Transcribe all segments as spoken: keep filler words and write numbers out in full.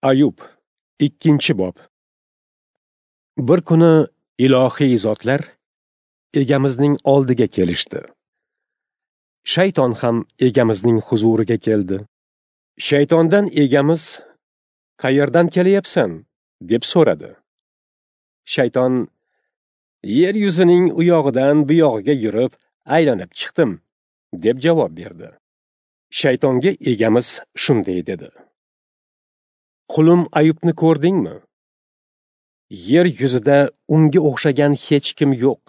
Ayub, ikkinchi bob. Bir kuni ilohiy zotlar Egamizning oldiga kelishdi. Shayton ham Egamizning huzuriga keldi. Shaytondan Egamiz: "Qayerdan kelyapsan?" deb so'radi. Shayton: "Yer yuzining u yog'idan bu yog'iga yurib, aylanib chiqdim", deb javob berdi. Shaytonga Egamiz shunday dedi: "Qulim Ayubni ko'rdingmi? Yer yuzida unga o'xshagan hech kim yo'q.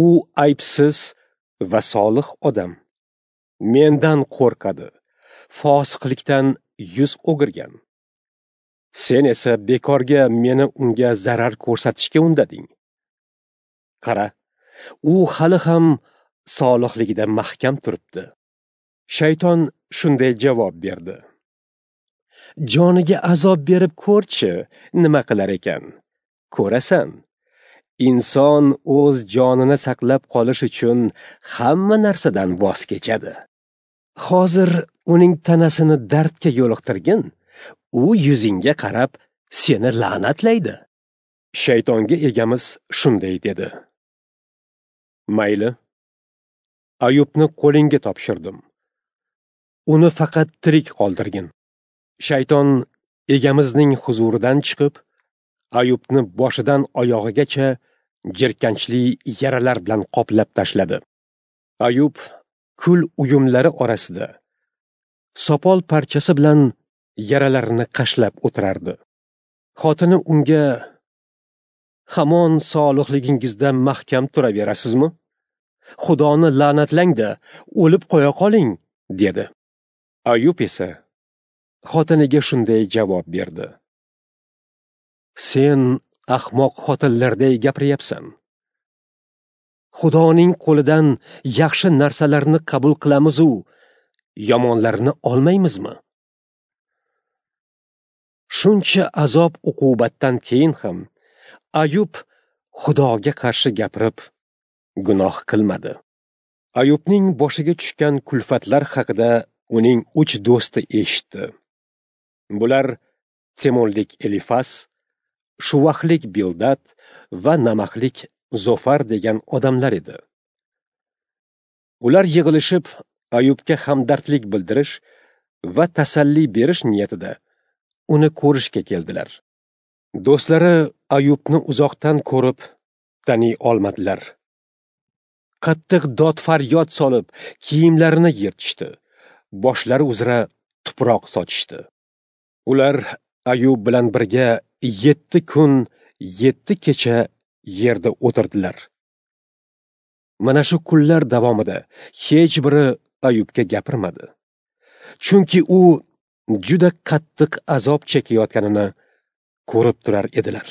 U aybsiz va solih odam. Mendan qo'rqadi, fosiqlikdan yuz o'girgan. Sen esa bekorga meni unga zarar ko'rsatishga undading. Qara, u hali ham solihligida mahkam turibdi." Shayton shunday javob berdi: "Joniga azob berib ko'rchi, nima qilar ekan? Ko'rasan, inson o'z jonini saqlab qolish uchun hamma narsadan voz kechadi. Hozir uning tanasini dardga yo'liqtirgin, u yuzingga qarab seni la'natlaydi." Shaytonga Egamiz shunday dedi: "Mayli, Ayubni qo'lingga topshirdim. Uni faqat tirik qoldirgin." Shayton Egamizning huzuridan chiqib, Ayubni boshidan oyog'igacha jirkanchli yaralar bilan qoplab tashladi. Ayub kul uyumlari orasida sopol parchasi bilan yaralarini qashlab o'tirardi. Xotini unga: "Hamon solihligingizda mahkam turaverasizmi? Xudoni la'natlang-da, o'lib qo'ya qoling", dedi. Ayub esa xotiniga shunday javob berdi: "Sen ahmoq xotinlarday gapiryapsan. Xudoning qo'lidan yaxshi narsalarni qabul qilamiz-u, yomonlarni olmaymizmi?" Shuncha azob uqubatdan keyin ham Ayub Xudoga qarshi gapirib, gunoh qilmadi. Ayubning boshiga tushgan kulfatlar haqida uning uch do'sti eshitdi. Bular Temonlik Elifas, Shuvahlik Bildad va Namaxlik Zofar degan odamlar edi. Ular yig'ilishib Ayubga hamdardlik bildirish va tasalli berish niyatida uni ko'rishga keldilar. Do'stlari Ayubni uzoqdan ko'rib taniy olmadilar. Qattiq dod faryod solib, kiyimlarini yirtishdi, boshlari uzra tuproq sochishdi. Ular Ayub bilan birga yetti kun, yetti kecha yerda o'tirdilar. Mana shu kunlar davomida hech biri Ayubga gapirmadi. Chunki u juda qattiq azob chekayotganini ko'rib turar edilar.